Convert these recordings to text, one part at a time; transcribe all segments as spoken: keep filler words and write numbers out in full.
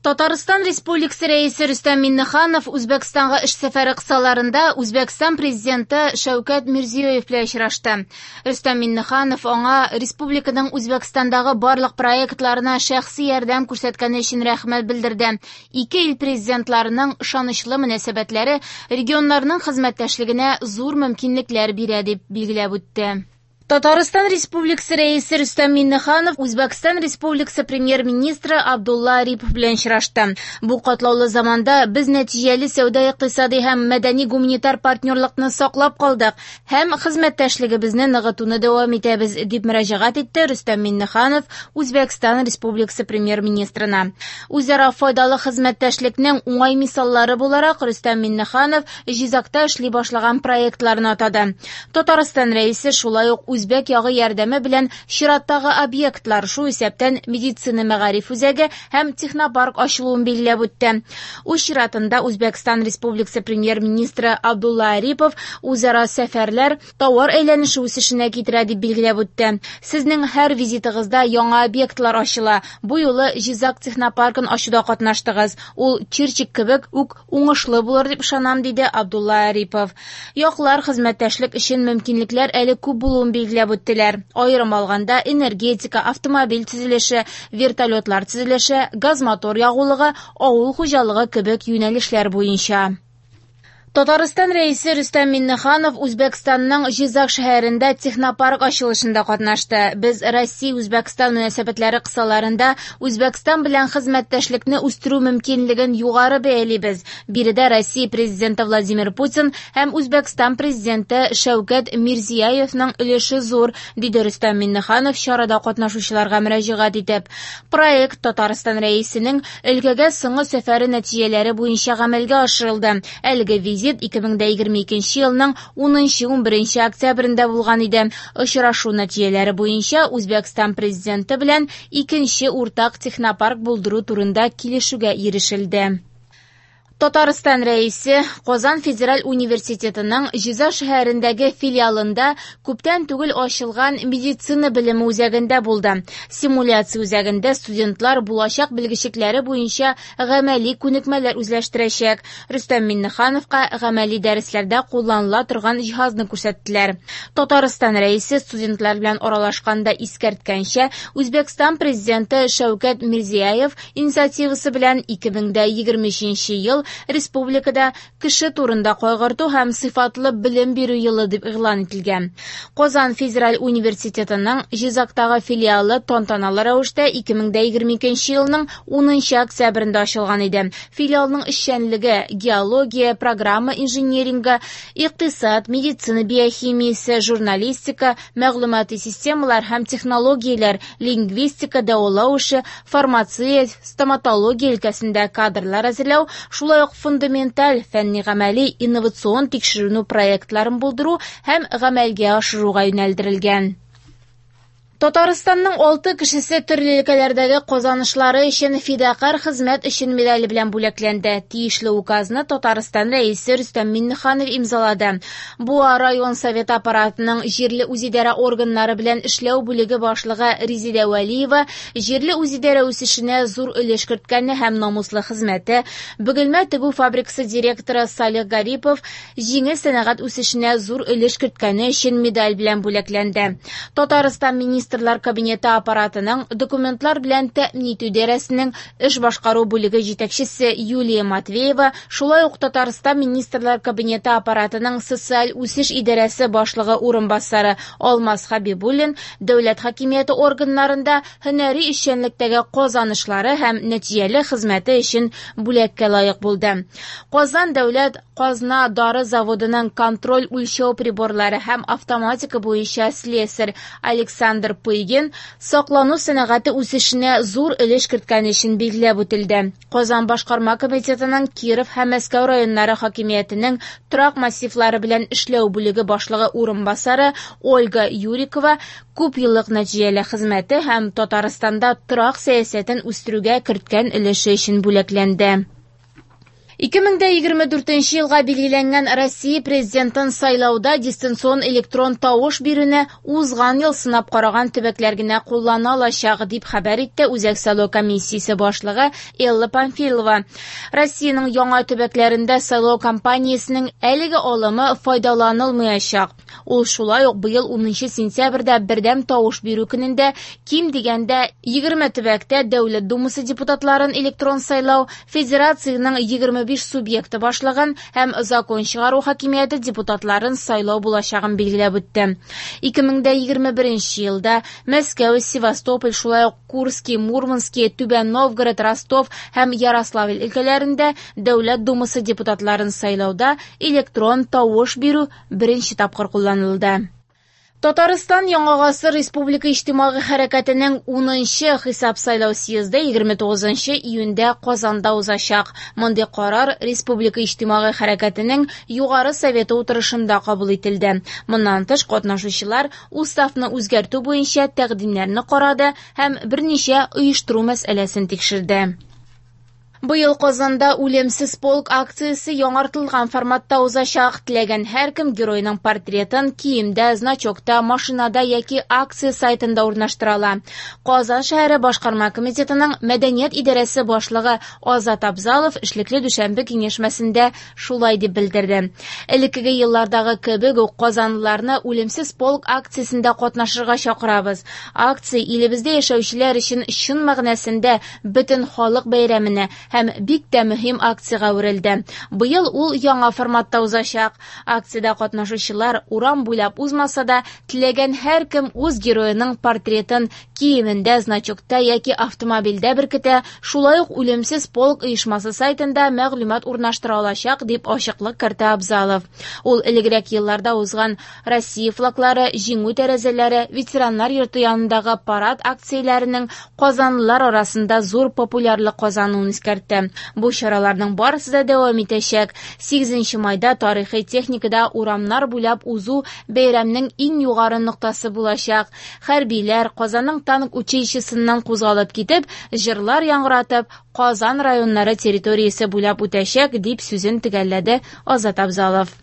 Татарстан Республикасы Рәисе Рөстәм Миңнеханов Үзбәкстанга эш сәфәре кысаларында Үзбәкстан президенты Шәүкәт Мирзиёев белән очрашты. Рөстәм Миңнеханов аңа республиканың Үзбәкстандагы барлык проектларына шәхси ярдәм күрсәткәне өчен рәхмәт белдерде. Ике ил президентларының ышанычлы мөнәсәбәтләре регионнарның хезмәттәшлегенә зур мөмкинлекләр бирә дип билгеләп үтте. Татарстан Республикасы Рәисе Рөстәм Миңнеханов Үзбәкстан Республикасы премьер-министры Абдулла Арипов белән очрашты. Бу катлаулы заманда без нәтиҗәле сәүдә-икътисади һәм мәдәни-гуманитар партнерлыкны саклап калдык һәм хезмәттәшлегебезне ныгытуны дәвам итәбез, дип мөрәҗәгать итте Рөстәм Миңнеханов Үзбәкстан Республикасы премьер-министрына. Үзара файдалы хезмәттәшлекнең уңай мисаллары буларак Рөстәм Миңнеханов Җизакта эшли башлаган проектларны атады. Татарстан Рәисе шулай ук Үзбәк ягы ярдәме белән чираттагы объектлар, шул исәптән медицина мәгариф үзәге һәм технопарк ачылуын билгеләп үтте. Үз чиратында Үзбәкстан Республикасы премьер-министры Абдулла Арипов үзара сәфәрләр товар әйләнеше үсешенә китерә дип билгеләп үтте. Сезнең һәр визитыгызда яңа объектлар ачыла. Бу юлы Җизак технопаркын ачуда катнаштыгыз. Ул Чирчик кебек үк уңышлы булыр дип ышанам, диде Абдулла Арипов. Яклар хезмәттәшлек өчен мөмкинлекләр әле күп булуын билгеләп билгеләп үттеләр. Аерым алганда энергетика, автомобиль төзелеше, вертолетлар төзелеше, газ-мотор ягулыгы, авыл хуҗалыгы кебек юнәлешләр буенча. Татарстан Рәисе Рөстәм Миңнеханов Үзбәкстанның Җизак шәһәрендә технопарк ачылышында катнашты. Без Россия-Үзбәкстан мөнәсәбәтләре кысаларында Үзбәкстан белән хезмәттәшлекне үстерү мөмкинлеген югары бәялибез. Биредә Россия президенты Владимир Путин һәм Үзбәкстан президенты Шәүкәт Мирзиёевның өлеше зур, диде Рөстәм Миңнеханов чарада катнашучыларга мөрәҗәгать итеп. Проект Татарстан Рәисенең өлкәгә соңгы сәфәре нәтиҗәләре буенча гамәлгә ашырылды. Әлеге визит ике мең егерме икенче елның унынчы-ун беренче октябрендә булган иде. Очрашу нәтиҗәләре буенча Үзбәкстан президенты белән икенче уртак технопарк булдыру турында килешүгә ирешелде. Татарстан Рәисе Казан Федераль университетының Җизак шәһәрендәге филиалында күптән түгел ачылган медицина белеме үзәгендә булды. Симуляция үзәгендә студентлар булачак белгечлекләре буенча гамәли күнекмәләр үзләштерәчәк. Рөстәм Миңнехановка гамәли дәресләрдә кулланыла торган җиһазны күрсәттеләр. Татарстан Рәисе студентлар белән аралашканда искәрткәнчә, Үзбәкстан президенты Шәүкәт Мирзиёев инициативасы белән ике мең егерме өченче ел республикада кеше турында кайгырту һәм сыйфатлы белем бирү елы дип игълан ителгән. Казан Федераль университетының Җизактагы филиалы тантаналы рәвештә ике мең егерме икенче елның унынчы октябрендә ачылган иде. Филиалның эшчәнлеге геология, программа инжинирингы, икътисад, медицина биохимиясе, журналистика, мәгълүмати системалар һәм технологияләр, лингвистика, дәвалау эше, фармация, стоматология өлкәсендә кадрлар әзерләү, шулай ук фундаменталь фәнни-гамәли инновацион тикшеренү проектларын булдыру һәм гамәлгә ашыруга юнәлдерелгән. Татарстанның алты кешесе төрле өлкәләрдәге казанышлары өчен фидакарь хезмәт өчен медале белән бүләкләнде. Тиешле указны Татарстан Рәисе Рөстәм Миңнеханов имзалады. Буа район совет аппаратының җирле үзидарә органнары белән эшләү бүлеге башлыгы Резидә Вәлиева җирле үзидарә үсешенә зур өлеш керткәне һәм намуслы хезмәте, Бөгелмә тегү фабрикасы директоры Салих Гарипов җиңел сәнәгать үсешенә зур өлеш керткәне өчен медаль белән бүләкләнде. Татарстан министр Министрлар Кабинеты аппаратының документлар белән тәэмин итү идарәсенең эш башкару бүлеге җитәкчесе Юлия Матвеева, шулай ук Татарстан Министрлар Кабинеты аппаратының социаль үсеш идарәсе башлыгы урынбасары Алмаз Хабибуллин дәүләт хакимияте органнарында һөнәри эшчәнлектәге казанышлары һәм нәтиҗәле хезмәте өчен бүләккә лаек булды. Казан дәүләт казна дары заводының контроль үлчәү приборлары һәм автоматика буенча слесарь Александр Пыйгин саклану сәнәгате үсешенә зур өлеш керткән өчен билгеләп үтелде. Казан башкарма комитетының Киров һәм Мәскәү районнары хакимиятенең торак массивлары белән эшләү бүлеге башлыгы урынбасары Ольга Юрикова күп еллык нәтиҗәле хезмәте һәм Татарстанда торак сәясәтен үстерүгә керткән өлеше өчен бүләкләнде. ике мең дә егерме дүртенче елга билгеләнгән Россия президентын сайлауда дистанцион электрон тавыш бирүне узган ел сынап караган төбәкләр генә куллана алачак, дип хәбәр итте Үзәк сайлау комиссиясе башлыгы Элла Памфилова. Россиянең яңа төбәкләрендә сайлау кампаниясенең әлеге алымы файдаланылмаячак. Ул шулай ук быел унынчы сентябрьдә бердәм тавыш бирү көнендә ким дигәндә егерме төбәктә Дәүләт Думасы депутатларын электрон сайлау, федерациянең егерме биш субъекты башлыгын һәм закон чыгару хакимияте депутатларын сайлау булачагын билгеләп үтте. ике мең дә егерме беренче елда Мәскәү, Севастополь, шулай ук Курский, Мурманский, Түбән Новгород, Ростов һәм Ярославль өлкәләрендә Дәүләт Думасы депутатларын сайлауда электрон тавыш бирү беренче тапкыр кулланылды. Татарстан Яңа гасыр Республика иҗтимагый хәрәкәтенең унынчы хисап сайлау съезды егерме тугызынчы июньдә Казанда узачак. Мондый карар Республика иҗтимагый хәрәкәтенең Югары советы утырышында кабул ителде. Моннан тыш катнашучылар уставны үзгәртү буенча тәкъдимнәрне карады һәм берничә оештыру мәсьәләсен тикшерде. Быел Казанда «Үлемсез полк» акциясе яңартылган форматта узачак. Теләгән һәркем геройның портретын киемдә, значокта, машинада яки акция сайтында урнаштыра ала. Казан шәһәре башкарма комитетының мәдәният идарәсе башлыгы Азат Абзалов эшлекле дүшәмбе киңәшмәсендә шулай дип белдерде. Элеккеге еллардагы кебек үк казанлыларны «Үлемсез полк» акциясендә катнашырга чакырабыз. Акция илебездә яшәүчеләр өчен чын мәгънәсендә бөтен халык бәйрәменә һәм бик тә мөһим акциягә әверелде. Быел ул яңа форматта узачак. Акциядә катнашучылар урам буйлап узмаса да, теләгән һәркем үз героеның портретын киемендә, значокта яки автомобильдә беркетә, шулай ук «Үлемсез полк» оешмасы сайтында мәгълүмат урнаштыра алачак, дип ачыклык кертә Абзалов. Ул элегрәк елларда узган Россия флаглары, җиңү тәрәзәләре, ветераннар йорты янындагы парад акцияләренең казанлылар арасында зур популярлык казануын искәртте. Бу чараларның барысы да дәвам итәчәк. Сигезенче майда тарихи техникада урамнар буйлап узу бәйрәмнең иң югары ноктасы булачак. Хәрбиләр Казанның танк училищесыннан кузгалып китеп, җырлар яңгыратып, Казан районнары территориясе буйлап үтәчәк, дип сүзен төгәлләде Азат Абзалов.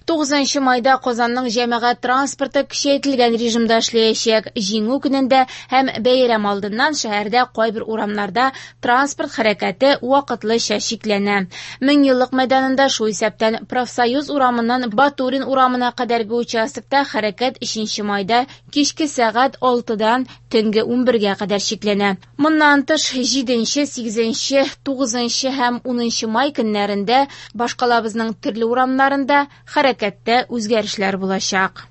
Тугызынчы майда Казанның җәмәгать транспорты көчәйтелгән режимда эшләячәк. Җиңү көнендә һәм бәйрәм алдыннан шәһәрдә кайбер урамнарда транспорт хәрәкәте вакытлыча чикләнә. Меңьеллык мәйданында, шул исәптән Профсоюз урамыннан Батурин урамына кадәрге участокта хәрәкәт өченче майда кичке сәгать алтыдан төнге унбергә кадәр чикләнә. Моннан тыш җиденче, сигезенче, тугызынчы һәм унынчы май көннәрендә башкалабызның төрле урамнарында хәрәкәттә үзгәрешләр булачак.